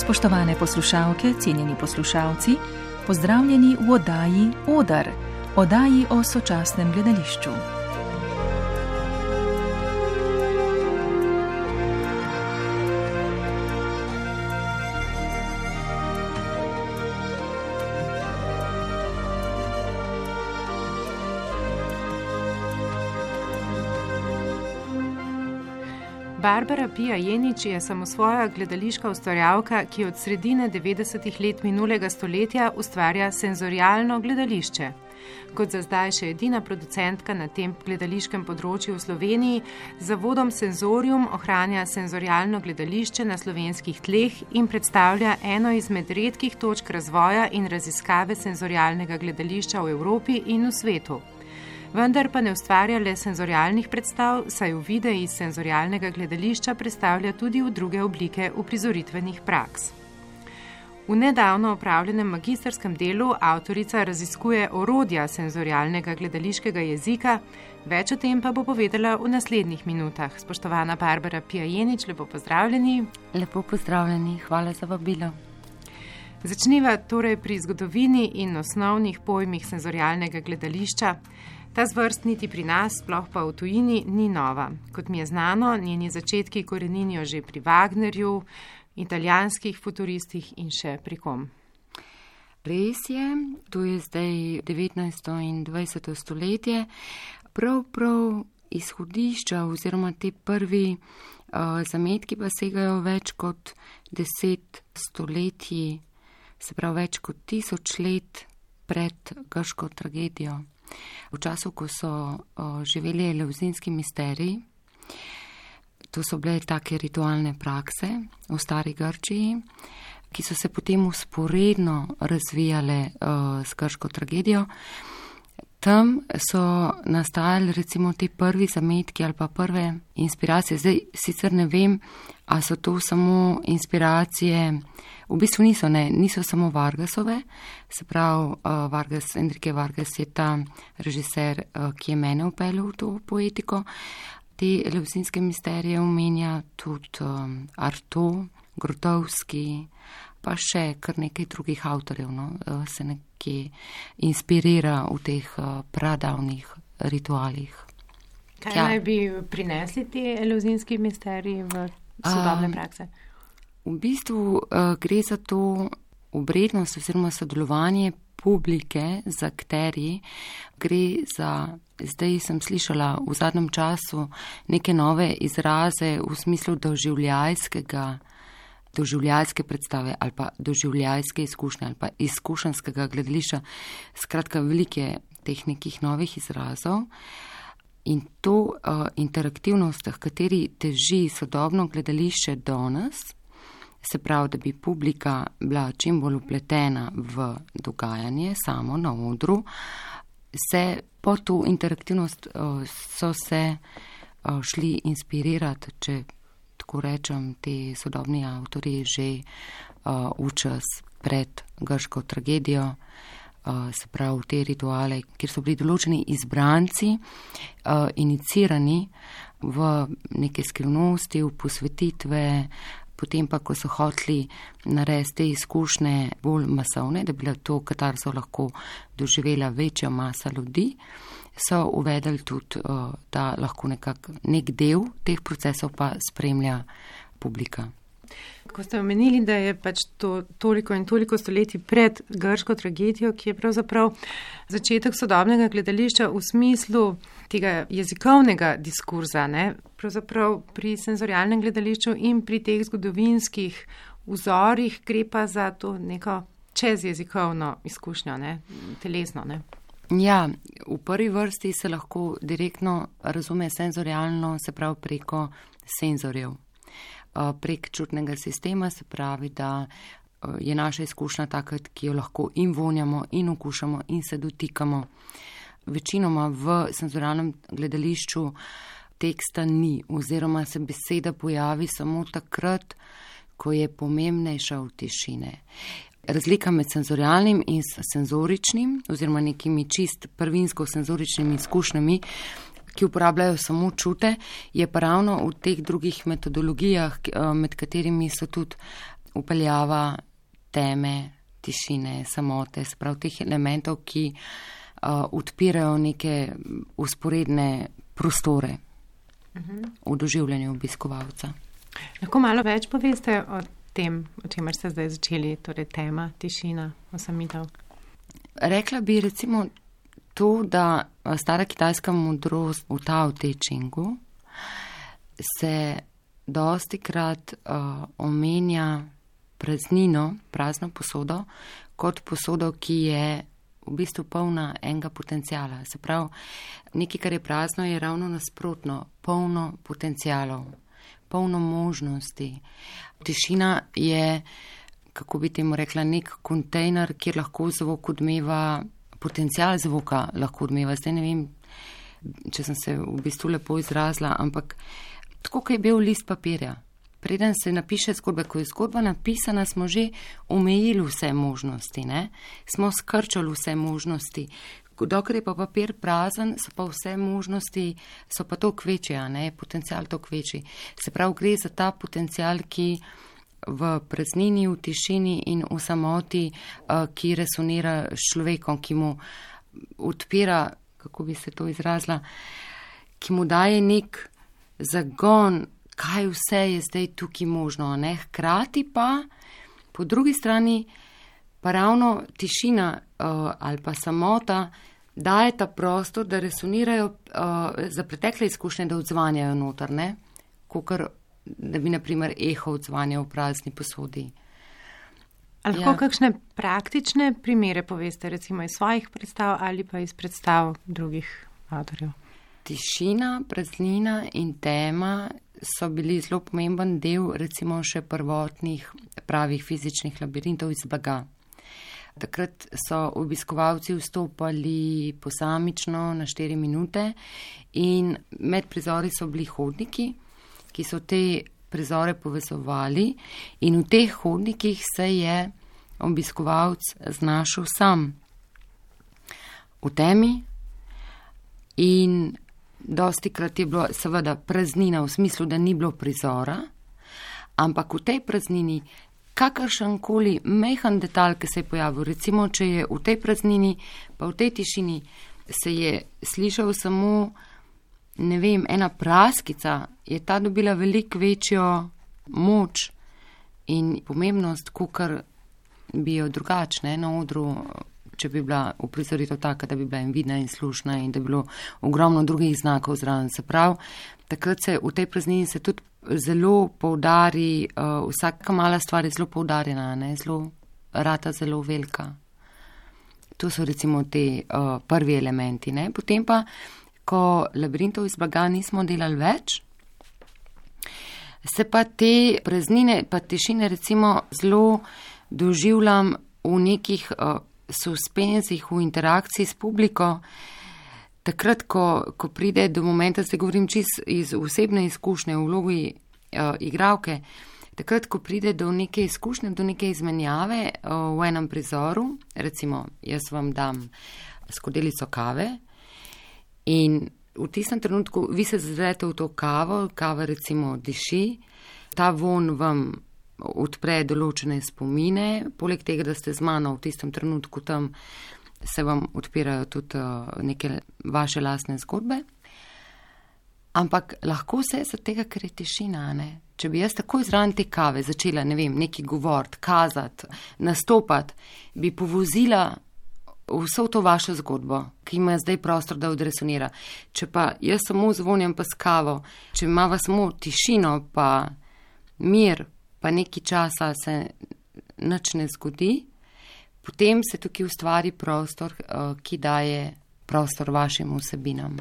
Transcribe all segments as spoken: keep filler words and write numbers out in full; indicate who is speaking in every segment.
Speaker 1: Spoštovane poslušalke, cenjeni poslušalci, pozdravljeni v oddaji Odar, oddaji o sočasnem gledališču.
Speaker 2: Barbara Pija Jenič je samosvoja gledališka ustvarjalka, ki od sredine devetdesetih let minulega stoletja ustvarja senzorialno gledališče. Kot za zdaj še edina producentka na tem gledališkem področju v Sloveniji, z zavodom Senzorium ohranja senzorialno gledališče na slovenskih tleh in predstavlja eno izmed redkih točk razvoja in raziskave senzorialnega gledališča v Evropi in v svetu. Vendar pa ne ustvarja le senzorialnih predstav, saj v videi iz senzorialnega gledališča predstavlja tudi v druge oblike uprizoritvenih praks. V nedavno opravljenem magistrskem delu avtorica raziskuje orodja senzorialnega gledališkega jezika, več o tem pa bo povedala v naslednjih minutah. Spoštovana Barbara Pija Jenič, lepo pozdravljeni.
Speaker 3: Lepo pozdravljeni, hvala za vabilo.
Speaker 2: Začniva torej pri zgodovini in osnovnih pojmih senzorialnega gledališča. Ta zvrst niti pri nas, sploh pa v tujini, ni nova. Kot mi je znano, njeni začetki koreninijo že pri Wagnerju, italijanskih futuristih in še pri kom.
Speaker 3: Res je, to je zdaj devetnajsto in dvajseto stoletje. Prav prav izhodišča oziroma te prvi uh, zametki pa segajo več kot deset stoletij, se pravi več kot tisoč let pred grško tragedijo. V času, ko so o, živeli eleusinski misteriji, to so bile take ritualne prakse v stari Grčiji, ki so se potem usporedno razvijale o, s grško tragedijo. Tam so nastajali recimo te prvi zametki ali pa prve inspiracije. Zdaj sicer ne vem, a so to samo inspiracije, v bistvu niso, ne, niso samo Vargasove, se pravi, uh, Vargas, Enrique Vargas je ta režiser, uh, ki je mene upeljal v to poetiko. Te eleusinske misterije omenja tudi um, Artaud, Grotowski, pa še kar nekaj drugih avtorjev, no, uh, se nekje inspirira v teh uh, pradavnih ritualih.
Speaker 2: Kaj ja. Naj bi prinesli ti eleusinski misteriji v sodobne um, prakse?
Speaker 3: V bistvu uh, gre za to obrednost oziroma sodelovanje publike z akterji. Gre za, zdaj sem slišala v zadnjem času neke nove izraze v smislu doživljajskega, doživljajske predstave ali pa doživljajske izkušnje ali pa izkušenskega gledališča. Skratka, velike teh nekih novih izrazov. In to uh, interaktivnost, v kateri teži sodobno gledališče danes, se pravi, da bi publika bila čim bolj upletena v dogajanje samo na odru, se po to interaktivnost uh, so se uh, šli inspirirati, če tako rečem, te sodobni avtorji že uh, v čas pred grško tragedijo, uh, se pravi te rituale, kjer so bili določeni izbranci, uh, inicirani v neke skrivnosti, v posvetitve. Potem pa, ko so hoteli narediti te izkušnje bolj masovne, da bi bila to katarzo lahko doživela večja masa ljudi, so uvedli tudi, da lahko nekak, nek del teh procesov pa spremlja publika.
Speaker 2: Ko ste omenili, da je pač to toliko in toliko stoletij pred grško tragedijo, ki je pravzaprav začetek sodobnega gledališča v smislu tega jezikovnega diskurza, ne? Pravzaprav pri senzorialnem gledališču in pri teh zgodovinskih vzorih gre pa za to neko čezjezikovno izkušnjo, ne? Telesno, ne?
Speaker 3: Ja, v prvi vrsti se lahko direktno razume senzorialno, se pravi preko senzorjev. Prek čutnega sistema, se pravi, da je naša izkušnja taka, ki jo lahko in vonjamo, in okušamo, in se dotikamo. Večinoma v senzorialnem gledališču teksta ni, oziroma se beseda pojavi samo takrat, ko je pomembnejša od tišine. Razlika med senzorialnim in senzoričnim, oziroma nekimi čist prvinsko senzoričnimi izkušnjami, ki uporabljajo samo čute, je pa ravno v teh drugih metodologijah, med katerimi so tudi upeljava teme, tišine, samote, sprav teh elementov, ki uh, odpirajo neke usporedne prostore uh-huh. v doživljanju obiskovalca.
Speaker 2: Lahko malo več poveste o tem, o čemer ste zdaj začeli, torej tema, tišina, osamitev?
Speaker 3: Rekla bi recimo to, da stara kitajska modrost v Tao Te Chingu se dosti krat uh, omenja praznino, prazno posodo, kot posodo, ki je v bistvu polna enega potencijala. Se pravi, nekaj, kar je prazno, je ravno nasprotno, polno potencijalov, polno možnosti. Tišina je, kako bi temu rekla, nek kontejner, kjer lahko zvok odmeva, potencijal zvoka lahko odmeva. Zdaj ne vem, če sem se v bistvu lepo izrazila, ampak tako, kot je bil list papirja. Preden se napiše zgodba, ko je zgodba napisana, smo že omejili vse možnosti, ne? Smo skrčali vse možnosti. Dokler je pa papir prazen, so pa vse možnosti, so pa toliko večje, ne? Potencial toliko večji. Se pravi, gre za ta potencial, ki v praznini, v tišini in v samoti, ki resonira s človekom, ki mu odpira, kako bi se to izrazila, ki mu daje nek zagon, kaj vse je zdaj tukaj možno, ne? Hkrati pa, po drugi strani, pa ravno tišina uh, ali pa samota daje ta prostor, da resonirajo uh, za pretekle izkušnje, da odzvanjajo noter, ne? Kakor, da bi, na primer, eho odzvanjal v prazni posodi.
Speaker 2: Ali lahko ja. kakšne praktične primere poveste, recimo iz svojih predstav ali pa iz predstav drugih avtorjev?
Speaker 3: Tišina, praznina in tema so bili zelo pomemben del recimo še prvotnih pravih fizičnih labirintov iz blaga. Takrat so obiskovalci vstopali posamično na štiri minute in med prizori so bili hodniki, ki so te prizore povezovali in v teh hodnikih se je obiskovalc znašel sam v temi in dosti krat je bilo seveda praznina v smislu, da ni bilo prizora, ampak v tej praznini kakršenkoli mehen detalj, ki se je pojavil, recimo, če je v tej praznini, pa v tej tišini se je slišal samo, ne vem, ena praskica, je ta dobila veliko večjo moč in pomembnost, kakor bi jo drugačne na odru, če bi bila uprizoritev taka, da bi bila in vidna in slušna in da bi bilo ogromno drugih znakov zraven. Se pravi, takrat se v tej praznini se tudi zelo poudari, uh, vsaka mala stvar je zelo poudarjena, ne, zelo rata zelo velika. To so recimo te uh, prvi elementi, ne. Potem pa, ko labirintov iz blaga nismo delali več, se pa te praznine, pa tišine recimo zelo doživljam v nekih uh, suspenzih, v interakciji s publiko, takrat, ko, ko pride do momenta, zdaj govorim čist iz osebne izkušnje v vlogi uh, igralke, takrat, ko pride do neke izkušnje, do neke izmenjave uh, v enem prizoru, recimo, jaz vam dam skodelico kave in v tistem trenutku vi se zazrete v to kavo, kava recimo diši, ta von vam odpre določene spomine, poleg tega, da ste z mano v tistem trenutku tam, se vam odpirajo tudi neke vaše lastne zgodbe. Ampak lahko se za tega, ker je tišina, ne? Če bi jaz takoj zraven te kave začela, ne vem, neki govorit, kazati, nastopati, bi povozila vso to vašo zgodbo, ki ima zdaj prostor, da odresonira. Če pa jaz samo zvonjam pa s kavo, če imava samo tišino pa mir, pa nekaj časa se nič ne zgodi, potem se tukaj ustvari prostor, ki daje prostor vašim vsebinam.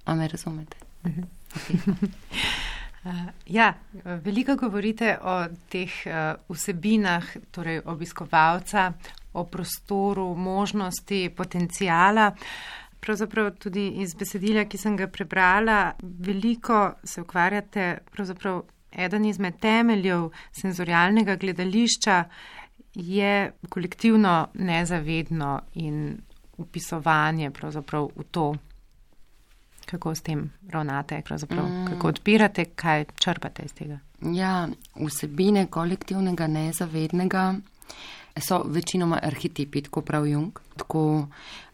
Speaker 3: A me razumete?
Speaker 2: Mhm. Okay. Ja, veliko govorite o teh vsebinah, torej obiskovalca, o prostoru, možnosti, potencijala. Pravzaprav tudi iz besedila, ki sem ga prebrala, veliko se ukvarjate, pravzaprav eden izmed temeljev senzorialnega gledališča je kolektivno nezavedno in upisovanje pravzaprav v to, kako s tem ravnate, pravzaprav, mm. kako odpirate, kaj črpate iz tega.
Speaker 3: Ja, vsebine kolektivnega nezavednega so večinoma arhetipi, tako prav Jung, tako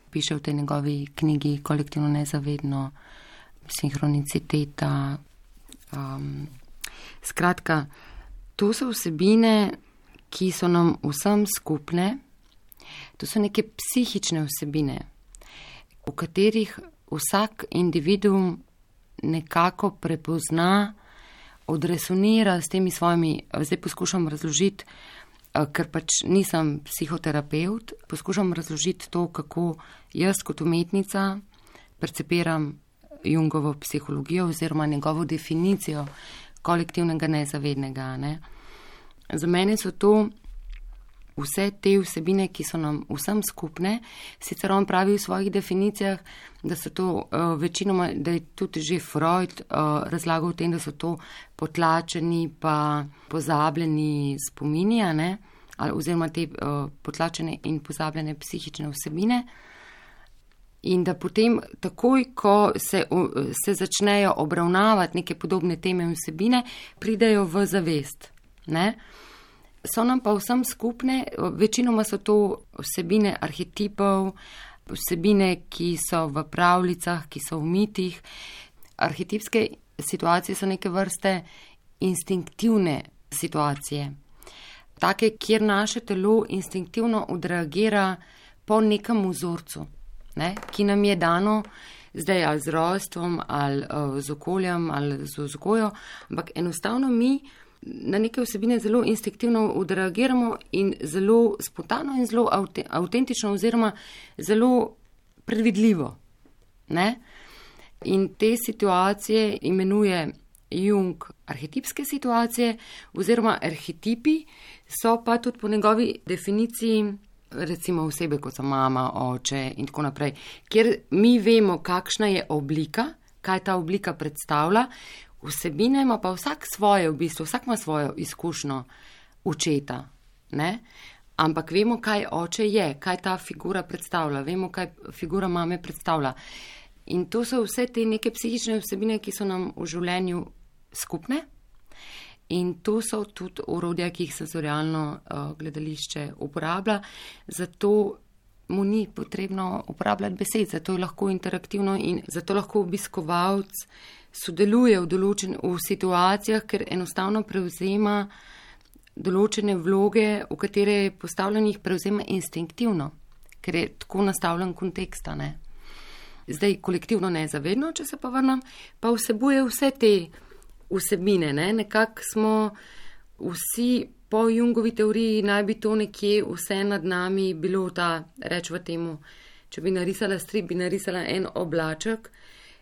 Speaker 3: piše v tej njegovi knjigi Kolektivno nezavedno, sinhroniciteta. Um, skratka, to so vsebine, ki so nam vsem skupne, to so neke psihične vsebine, v katerih vsak individuum nekako prepozna, odresonira s temi svojimi, zdaj poskušam razložiti, ker pač nisem psihoterapevt, poskušam razložiti to, kako jaz kot umetnica percepiram Jungovo psihologijo oziroma njegovo definicijo kolektivnega nezavednega. Ne? Za mene so to vse te vsebine, ki so nam vsem skupne, sicer on pravi v svojih definicijah, da so to uh, večinoma, da je tudi že Freud uh, razlagal v tem, da so to potlačeni pa pozabljeni spomini, ne? Ali, oziroma te uh, potlačene in pozabljene psihične vsebine. In da potem takoj, ko se, uh, se začnejo obravnavati neke podobne teme in vsebine, pridejo v zavest. Ne? So nam pa vsem skupne, večinoma so to vsebine arhetipov, vsebine, ki so v pravljicah, ki so v mitih. Arhetipske situacije so neke vrste instinktivne situacije. Take, kjer naše telo instinktivno odreagira po nekem vzorcu, ne, ki nam je dano zdaj ali z rojstvom, ali uh, z okoljem, ali z vzgojo, ampak enostavno mi na neke vsebine zelo instinktivno odreagiramo in zelo spontano in zelo avtentično oziroma zelo predvidljivo. Ne? In te situacije imenuje Jung arhetipske situacije oziroma arhetipi, so pa tudi po njegovi definiciji recimo osebe, kot so mama, oče in tako naprej, kjer mi vemo, kakšna je oblika, kaj ta oblika predstavlja. Vsebine ima pa vsak svoje v bistvu, vsak ima svojo izkušnjo očeta, ne? Ampak vemo, kaj oče je, kaj ta figura predstavlja, vemo, kaj figura mame predstavlja. In to so vse te neke psihične vsebine, ki so nam v življenju skupne in to so tudi orodja, ki jih senzorialno uh, gledališče uporablja, zato mu ni potrebno uporabljati besed, zato je lahko interaktivno in zato lahko obiskovalc sodeluje v določen, v situacijah, ker enostavno prevzema določene vloge, v katere je postavljen, jih prevzema instinktivno, ker je tako nastavljen konteksta, ne. Zdaj kolektivno nezavedno, če se pa vrnem, pa vsebuje vse te vsebine, ne. Nekako smo vsi po Jungovi teoriji, naj bi to nekje vse nad nami bilo ta, rečva temu, če bi narisala strip, bi narisala en oblaček,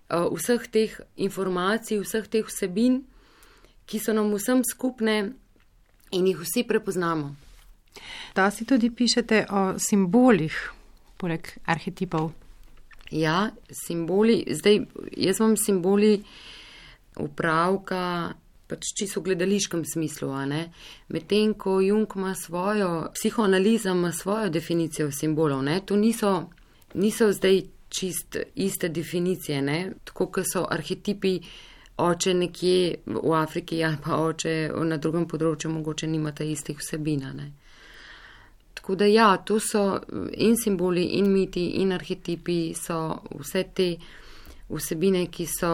Speaker 3: vseh teh informacij, vseh teh vsebin, ki so nam vsem skupne in jih vsi prepoznamo.
Speaker 2: Da si tudi pišete o simbolih, poleg arhetipov.
Speaker 3: Ja, simboli, zdaj jaz imam simboli upravka, pač čisto v gledališkem smislu, a ne. Medtem, ko Jung ima svojo, psihoanaliza ima svojo definicijo simbolov, ne, to niso, niso zdaj čist iste definicije, ne, tako kot so arhetipi oče nekje v Afriki ali pa oče na drugem področju mogoče nimata istih vsebina, ne. Tako da ja, to so in simboli, in miti, in arhetipi, so vse te vsebine, ki so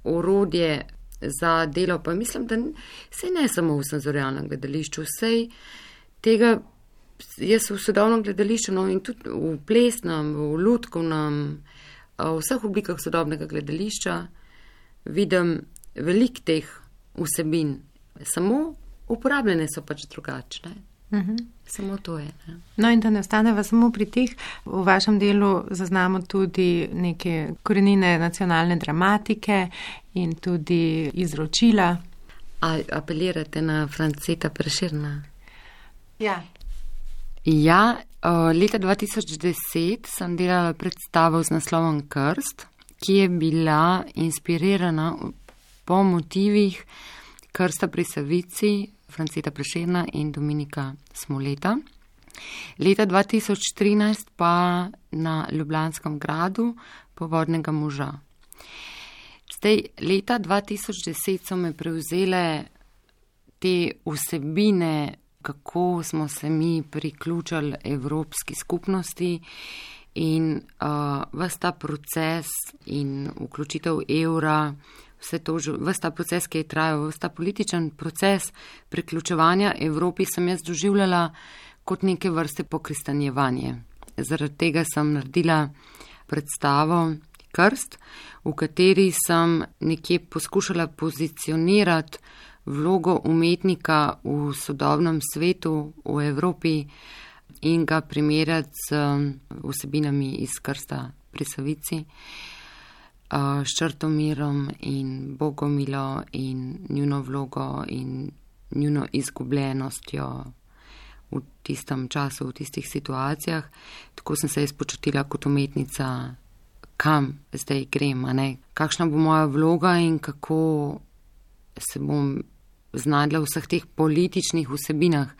Speaker 3: orodje za delo, pa mislim, da sej ne samo v senzorialnem gledališču, sej tega jaz v sodobnem gledališču, no in tudi v plesnem, v lutkovnem, v vseh oblikah sodobnega gledališča vidim veliko teh vsebin, samo uporabljene so pač drugačne. Uh-huh. Samo to je. Ne?
Speaker 2: No in da ne ostaneva samo pri teh, v vašem delu zaznamo tudi neke korenine nacionalne dramatike in tudi izročila.
Speaker 3: A apelirate na Franceta Prešerna?
Speaker 2: Ja.
Speaker 3: Ja, leta dva tisoč deset sem delala predstavo z naslovom Krst, ki je bila inspirirana po motivih Krsta pri Savici, Franceta Prešerna in Dominika Smoleta. Leta dva tisoč trinajst pa na Ljubljanskem gradu Povodnega moža. Zdaj, leta dva tisoč deset so me prevzele te vsebine, kako smo se mi priključili Evropski skupnosti in uh, ves ta proces in vključitev evra, vse to, ves ta proces, ki je trajal, ves ta političen proces priključevanja Evropi sem jaz doživljala kot neke vrste pokristanjevanje. Zaradi tega sem naredila predstavo Krst, v kateri sem nekje poskušala pozicionirati vlogo umetnika v sodobnem svetu, v Evropi in ga primerjati z vsebinami iz Krsta pri Savici, s Črtomirom in Bogomilo in njuno vlogo in njuno izgubljenostjo v tistem času, v tistih situacijah. Tako sem se jaz počutila kot umetnica, kam zdaj grem, a ne? Kakšna bo moja vloga in kako se bom znašla v vseh teh političnih vsebinah.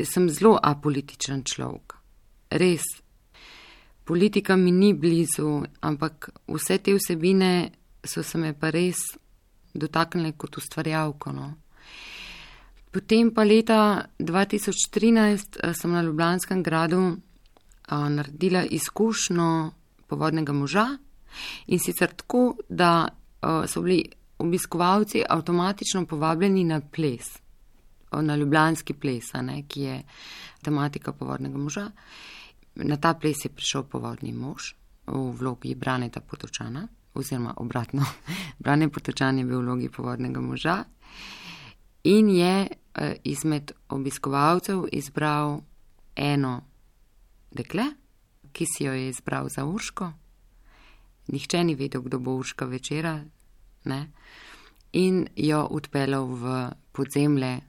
Speaker 3: Sem zelo apolitičen človek. Res. Politika mi ni blizu, ampak vse te vsebine so se me pa res dotaknile kot ustvarjalko, no. Potem pa leta dva tisoč trinajst sem na Ljubljanskem gradu a, naredila izkušnjo Povodnega moža in sicer tako, da a, so bili obiskovalci avtomatično povabljeni na ples, na ljubljanski ples, ne, ki je tematika Povodnega moža. Na ta ples je prišel Povodni mož v vlogi Braneta Potočana, oziroma obratno, Brane Potočan je bil v vlogi Povodnega moža in je eh, izmed obiskovalcev izbral eno dekle, ki si jo je izbral za Urško. Nihče ni vedel, kdo bo Urška večera, ne, in jo odpeljal v podzemlje,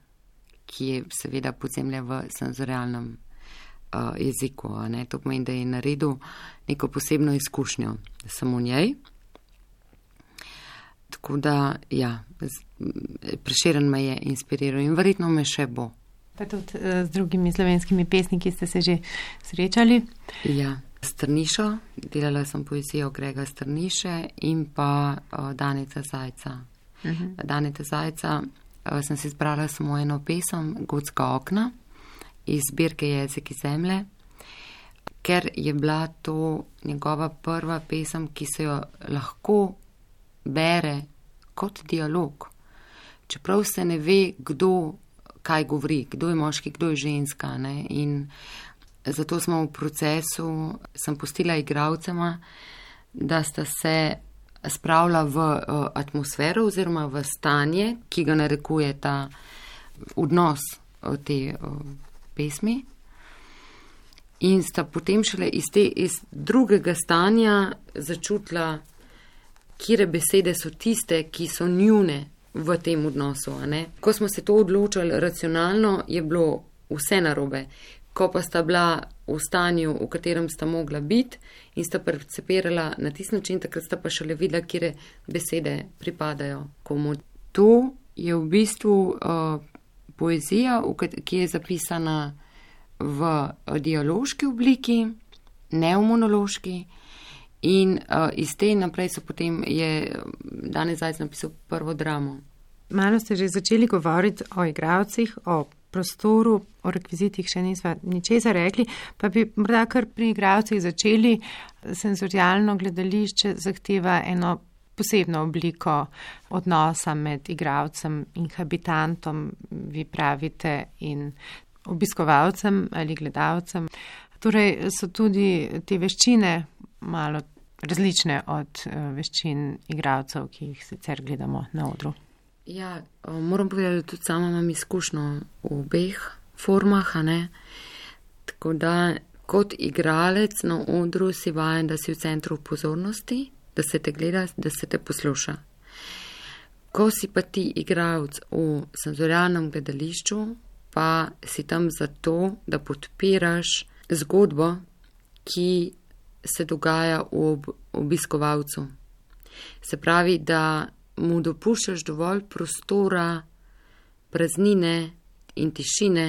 Speaker 3: ki je seveda podzemlje v senzorialnem uh, jeziku. Ne. To pomeni, da je naredil neko posebno izkušnjo samo njej. Tako da, ja, Prešeren me je inspiriral in verjetno me še bo.
Speaker 2: Pa tudi z drugimi slovenskimi pesniki ste se že srečali?
Speaker 3: Ja, Strnišo, delala sem poezijo Grega Strniše in pa uh, Daneta Zajca. Uh-huh. Daneta Zajca uh, sem si izbrala samo eno pesem, Gotska okna, iz zbirke Jezik iz zemlje, ker je bila to njegova prva pesem, ki se jo lahko bere kot dialog. Čeprav se ne ve, kdo kaj govori, kdo je moški, kdo je ženska, ne? In zato smo v procesu, sem pustila igralcema, da sta se spravila v uh, atmosfero oziroma v stanje, ki ga narekuje ta odnos uh, te uh, pesmi. In sta potem šele iz, te, iz drugega stanja začutila, kire besede so tiste, ki so njune v tem odnosu. A ne? Ko smo se to odločili racionalno, je bilo vse narobe. Ko pa sta bila v stanju, v katerem sta mogla biti in sta percepirala na tisti način, takrat sta pa šele videla, kire besede pripadajo komu. To je v bistvu uh, poezija, ki je zapisana v dialoški obliki, ne v monološki. In uh, iz te naprej so potem je Daneta Zajc napisal prvo dramo.
Speaker 2: Malo ste že začeli govoriti o igralcih, o prostoru, o rekvizitih še nisva ničesar rekli, pa bi morda kar pri igralcih začeli. Senzorialno gledališče zahteva eno posebno obliko odnosa med igralcem in habitantom, vi pravite, in obiskovalcem ali gledalcem. Torej so tudi te veščine malo različne od veščin igralcev, ki jih sicer gledamo na odru.
Speaker 3: Ja, moram povedati, da tudi sama imam izkušnjo v obeh formah, a ne. Tako da kot igralec na odru si vajen, da si v centru pozornosti, da se te gleda, da se te posluša. Ko si pa ti igralec v senzorialnem gledališču, pa si tam zato, da podpiraš zgodbo, ki se dogaja v ob- obiskovalcu. Se pravi, da mu dopuščaš dovolj prostora, praznine in tišine,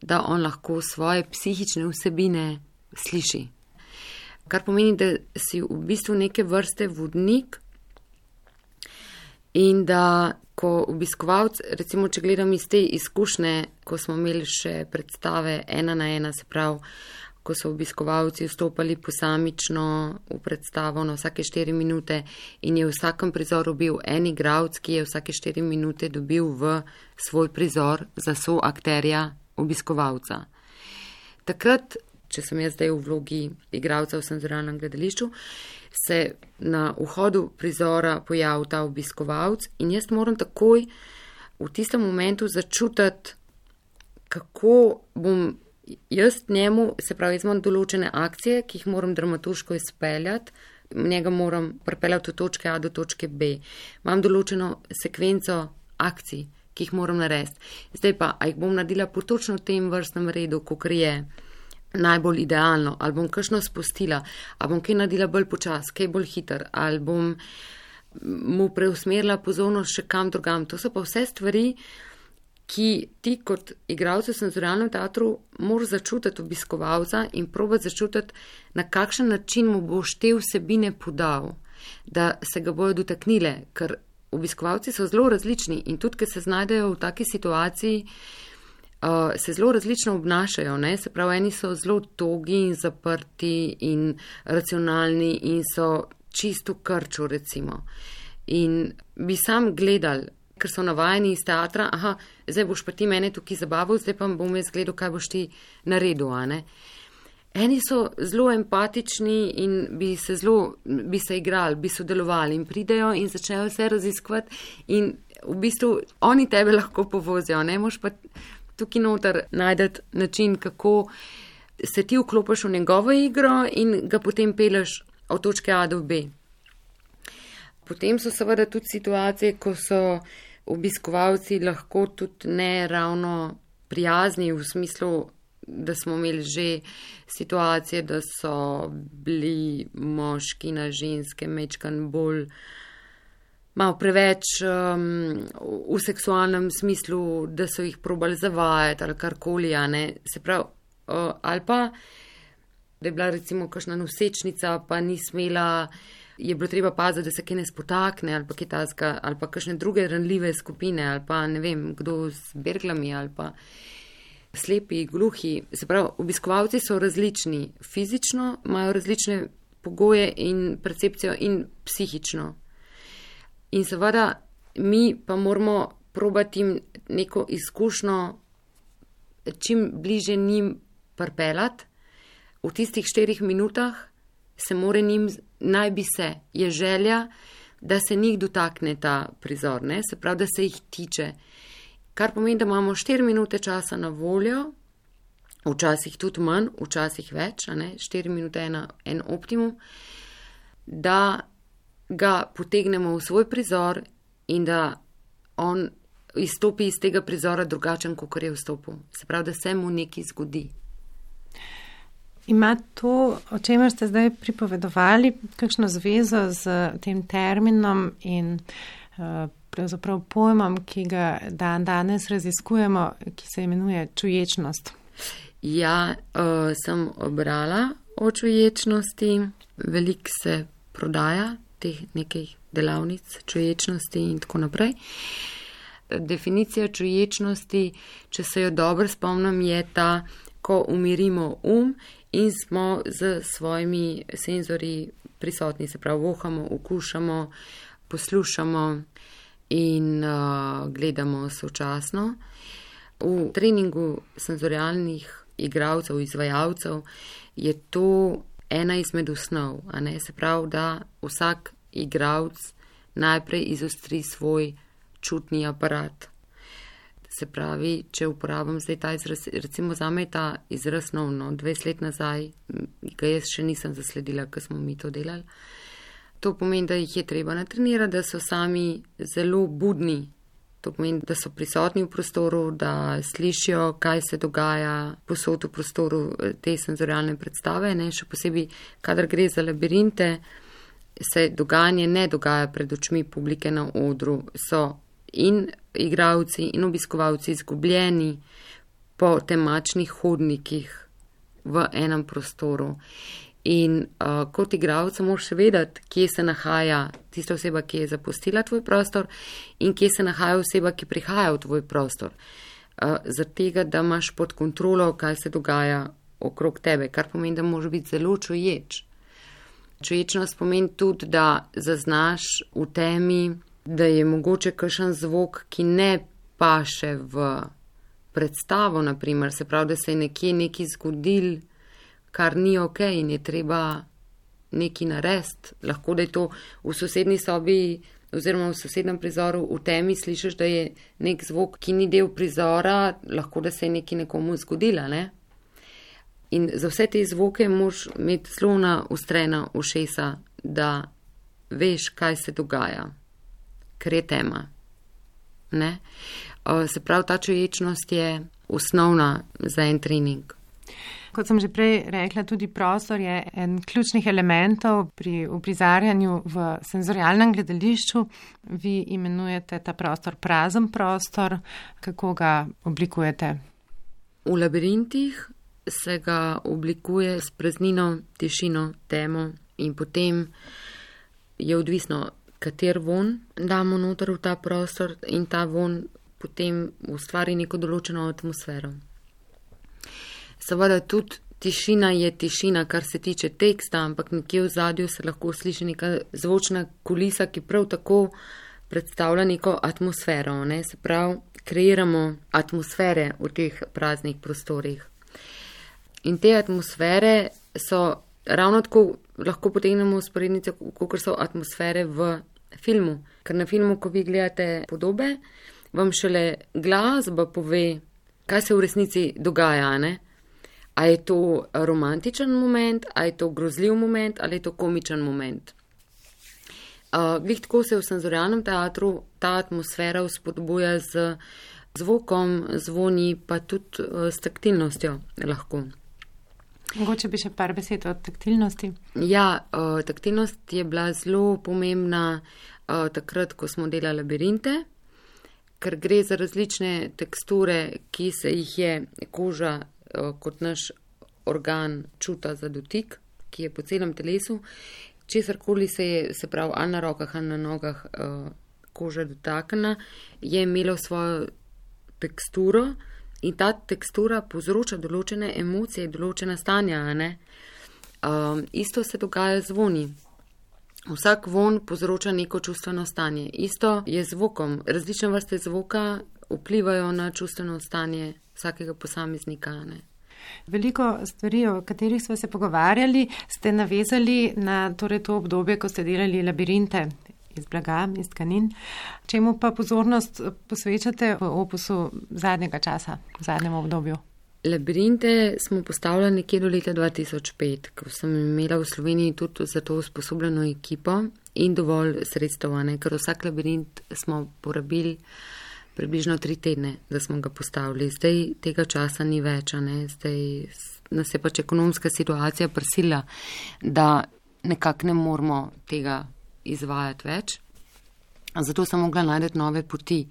Speaker 3: da on lahko svoje psihične vsebine sliši. Kar pomeni, da si v bistvu neke vrste vodnik in da ko obiskovalc, recimo, če gledam iz te izkušnje, ko smo imeli še predstave ena na ena, se pravi, ko so obiskovalci vstopali posamično v predstavo na vsake štiri minute in je v vsakem prizoru bil en igralec, ki je vsake štiri minute dobil v svoj prizor za soakterja obiskovalca. Takrat, če sem jaz zdaj v vlogi igralca v senzorialnem gledališču, se na vhodu prizora pojavi ta obiskovalc in jaz moram takoj v tistem momentu začutiti, kako bom jaz njemu, se pravi, jaz imam določene akcije, ki jih moram dramaturško izpeljati, njega moram pripeljati od točke A do točke B. Imam določeno sekvenco akcij, ki jih moram narediti. Zdaj pa, a jih bom naredila po točno tem vrstnem redu, kakor je najbolj idealno, ali bom kakšno spustila, ali bom kaj naredila bolj počas, kaj bolj hiter, ali bom mu preusmerila pozornost še kam drugam. To so pa vse stvari, ki ti kot igralci v senzorialnem teatru moraš začutiti obiskovalca in probati začutiti, na kakšen način mu boš te vsebine podal, da se ga bojo dotaknile, ker obiskovalci so zelo različni in tudi, ker se znajdejo v taki situaciji, uh, se zelo različno obnašajo, ne? Se pravi, eni so zelo togi in zaprti in racionalni in so čisto krču, recimo. In bi sam gledal, ker so navajeni iz teatra, aha, zdaj boš pa ti mene tukaj zabaval, zdaj pa bom jaz gledal, kaj boš ti naredil, a ne. Eni so zelo empatični in bi se zelo, bi se igrali, bi sodelovali in pridejo in začnejo vse raziskovati in v bistvu oni tebe lahko povozijo, ne, moš pa tukaj noter najdeti način, kako se ti vklopiš v njegovo igro in ga potem peleš od točke A do B. Potem so seveda tudi situacije, ko so obiskovalci lahko tudi ne ravno prijazni v smislu, da smo imeli že situacije, da so bili moški na ženske mečkan bolj malo preveč um, v seksualnem smislu, da so jih probali zavajati ali karkoli, a ne. Se pravi, uh, ali pa, da je bila recimo kakšna nosečnica, pa ni smela, je bilo treba paziti, da se kaj ne spotakne ali pa kaj tazga, ali pa kakšne druge ranljive skupine, ali pa ne vem, kdo z berglami, ali pa slepi, gluhi. Se pravi, obiskovalci so različni fizično, imajo različne pogoje in percepcijo in psihično. In seveda mi pa moramo probati jim neko izkušnjo čim bliže njim pripeljati. V tistih štirih minutah se more njim, naj bi se, je želja, da se njih dotakne ta prizor, ne? Se pravi, da se jih tiče. Kar pomeni, da imamo štiri minute časa na voljo, včasih tudi manj, včasih več, a ne? Štiri minute je en optimum, da ga potegnemo v svoj prizor in da on izstopi iz tega prizora drugačen, kot je vstopil. Se pravi, da se mu nekaj zgodi.
Speaker 2: Ima to, o čemer ste zdaj pripovedovali, kakšno zvezo z tem terminom in uh, pravzaprav pojmom, ki ga dan danes raziskujemo, ki se imenuje čuječnost?
Speaker 3: Ja, uh, sem obrala o čuječnosti, veliko se prodaja teh nekaj delavnic čuječnosti in tako naprej. Definicija čuječnosti, če se jo dobro spomnim, je ta, ko umirimo um in smo z svojimi senzorji prisotni, se pravi, vohamo, okušamo, poslušamo in uh, gledamo sočasno. V treningu senzorialnih igralcev, izvajalcev je to ena izmed osnov, a ne, se pravi, da vsak igralec najprej izostri svoj čutni aparat. Se pravi, če uporabim zdaj ta izraz, recimo zame je ta izraz nov, no, dvajset let nazaj, ga jaz še nisem zasledila, ko smo mi to delali. To pomeni, da jih je treba natrenirati, da so sami zelo budni. To pomeni, da so prisotni v prostoru, da slišijo, kaj se dogaja posod v prostoru te senzorialne predstave, ne, še posebej, kadar gre za labirinte, se dogajanje ne dogaja pred očmi publike na odru, so in igralci in obiskovalci izgubljeni po temačnih hodnikih v enem prostoru. In uh, kot igralec moraš vedeti, kje se nahaja tista oseba, ki je zapustila tvoj prostor in kje se nahaja oseba, ki prihaja v tvoj prostor. Uh, Zaradi tega, da imaš pod kontrolo, kaj se dogaja okrog tebe, kar pomeni, da moraš biti zelo čuječ. Čuječnost pomeni tudi, da zaznaš v temi, da je mogoče kakšen zvok, ki ne paše v predstavo, naprimer, se pravi, da se je nekje nekaj zgodil, kar ni ok in je treba nekaj narediti. Lahko, da je to v sosednji sobi oziroma v sosednem prizoru v temi slišiš, da je nek zvok, ki ni del prizora, lahko, da se je nekaj nekomu zgodila, ne? In za vse te zvoke moraš imeti zelo naostrena ušesa, da veš, kaj se dogaja, ker je tema. Ne? Se pravi, ta čuječnost je osnovna za en trening.
Speaker 2: Kot sem že prej rekla, tudi prostor je en ključnih elementov pri uprizarjanju v senzorialnem gledališču. Vi imenujete ta prostor prazen prostor. Kako ga oblikujete?
Speaker 3: V labirintih se ga oblikuje s praznino, tišino, temo in potem je odvisno, kater von damo noter v ta prostor in ta von potem ustvari neko določeno atmosfero. Seveda tudi tišina je tišina, kar se tiče teksta, ampak nekje v zadju se lahko sliši neka zvočna kulisa, ki prav tako predstavlja neko atmosfero, ne? Se pravi, kreiramo atmosfere v teh praznih prostorih. In te atmosfere so ravno tako, lahko potegnemo usporednice, kot so atmosfere v filmu. Ker na filmu, ko vi gledate podobe, vam šele glasba pove, kaj se v resnici dogaja, ne? A je to romantičen moment, a je to grozljiv moment, ali je to komičen moment. Uh, glih tako se v senzorialnem teatru ta atmosfera vzpodbuja z zvokom, zvoni, pa tudi uh, s taktilnostjo lahko.
Speaker 2: Mogoče bi še par besed o taktilnosti.
Speaker 3: Ja, uh, taktilnost je bila zelo pomembna uh, takrat, ko smo delali labirinte, ker gre za različne teksture, ki se jih je koža uh, kot naš organ čuta za dotik, ki je po celem telesu. Česarkoli se je, se pravi, ali na rokah, ali na nogah uh, koža dotaknila, je imelo svojo teksturo. In ta tekstura povzroča določene emocije, določena stanja, ne? Um, isto se dogaja z zvoni. Vsak von povzroča neko čustveno stanje. Isto je z zvokom. Različne vrste zvoka vplivajo na čustveno stanje vsakega posameznika, ne?
Speaker 2: Veliko stvari, o katerih smo se pogovarjali, ste navezali na torej to obdobje, ko ste delali labirinte iz blaga, iz tkanin. Čemu pa pozornost posvečate v opusu zadnjega časa, v zadnjem obdobju?
Speaker 3: Labirinte smo postavljali nekje do leta dva tisoč pet, ko sem imela v Sloveniji tudi za to usposobljeno ekipo in dovolj sredstevane, ker vsak labirint smo porabili približno tri tedne, da smo ga postavili. Zdaj tega časa ni več, ne? Zdaj nas je pač ekonomska situacija prisila, da nekako ne moramo tega izvajati več, zato sem mogla najti nove poti.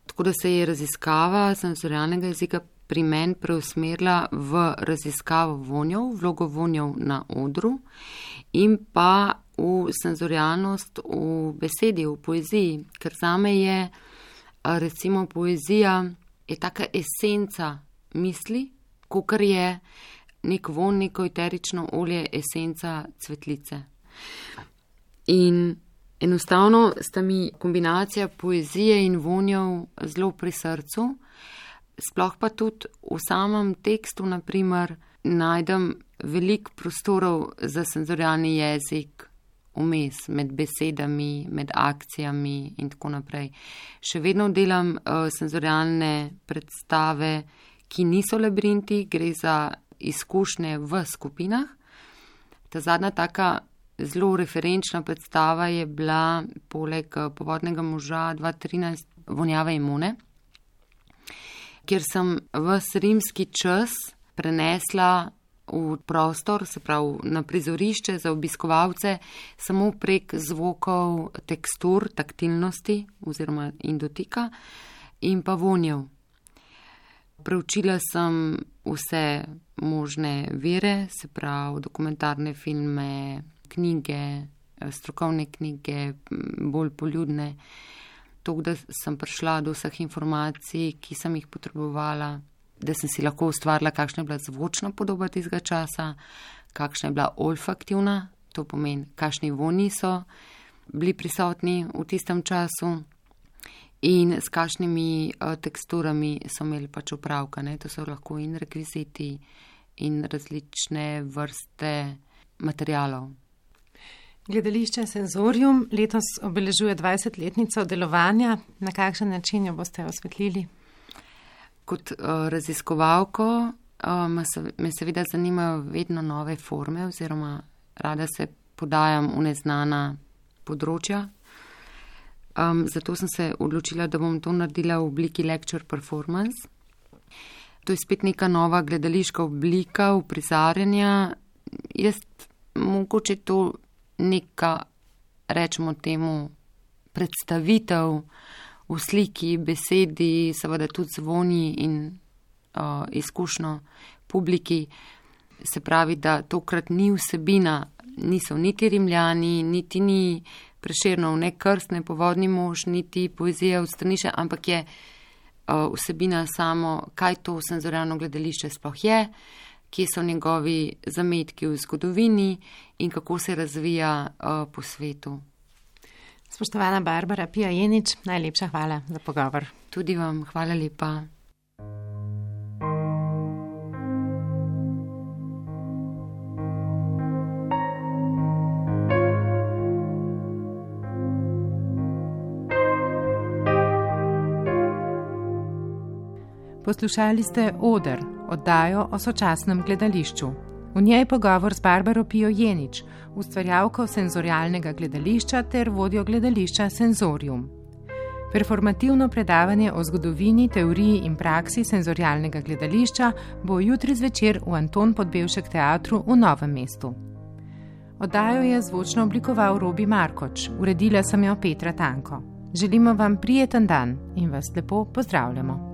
Speaker 3: Tako da se je raziskava senzorialnega jezika pri meni preusmerila v raziskavo vonjev, vlogo vonjev na odru in pa v senzorialnost v besedi, v poeziji, ker zame je recimo poezija je taka esenca misli, kakor je nek von, neko eterično olje, esenca cvetlice. In enostavno sta mi kombinacija poezije in vonjev zelo pri srcu, sploh pa tudi v samem tekstu, naprimer, najdem veliko prostorov za senzorialni jezik vmes, med besedami, med akcijami in tako naprej. Še vedno delam uh, senzorialne predstave, ki niso labirinti, gre za izkušnje v skupinah. Ta zadnja taka zelo referenčna predstava je bila poleg Povodnega moža dva tisoč trinajst Vonjave imune, kjer sem ves rimski čas prenesla v prostor, se pravi na prizorišče za obiskovalce, samo prek zvokov, tekstur, taktilnosti oziroma in dotika in pa vonjev. Preučila sem vse možne vire, se pravi dokumentarne filme, knjige, strokovne knjige, bolj poljudne. To, da sem prišla do vseh informacij, ki sem jih potrebovala, da sem si lahko ustvarila, kakšna je bila zvočna podoba tistega časa, kakšna je bila olfaktivna, to pomeni, kakšni vonji so bili prisotni v tistem času in s kakšnimi uh, teksturami so imeli pač opravka. Ne? To so lahko in rekviziti in različne vrste materialov.
Speaker 2: Gledališče Senzorium letos obeležuje dvajsetletnico delovanja. Na kakšen način jo boste osvetlili?
Speaker 3: Kot uh, raziskovalko uh, me, se, me seveda zanimajo vedno nove forme oziroma rada se podajam v neznana področja. Um, zato sem se odločila, da bom to naredila v obliki lecture performance. To je spet neka nova gledališka oblika uprizarjanja. Jaz mogoče to neka, rečemo temu, predstavitev v sliki, besedi, seveda tudi zvoni in uh, izkušnjo publiki. Se pravi, da tokrat ni vsebina, niso niti Rimljani, niti ni Prešernov, ne Krst, ne Povodni mož, niti poezija od Strniša, ampak je uh, vsebina samo, kaj to senzorialno gledališče sploh je, kje so njegovi zametki v zgodovini in kako se razvija uh, po svetu.
Speaker 2: Spoštovana Barbara Pija Jenič, najlepša hvala za pogovor.
Speaker 3: Tudi vam, hvala lepa.
Speaker 2: Poslušali ste Oder, oddajo o sočasnem gledališču. V njej pogovor z Barbaro Pijo Jenič, ustvarjalko senzorialnega gledališča ter vodjo gledališča Senzorium. Performativno predavanje o zgodovini, teoriji in praksi senzorialnega gledališča bo jutri zvečer v Anton Podbevšek teatru v Novem mestu. Oddajo je zvočno oblikoval Robi Markoč, uredila sem jo Petra Tanko. Želimo vam prijeten dan in vas lepo pozdravljamo.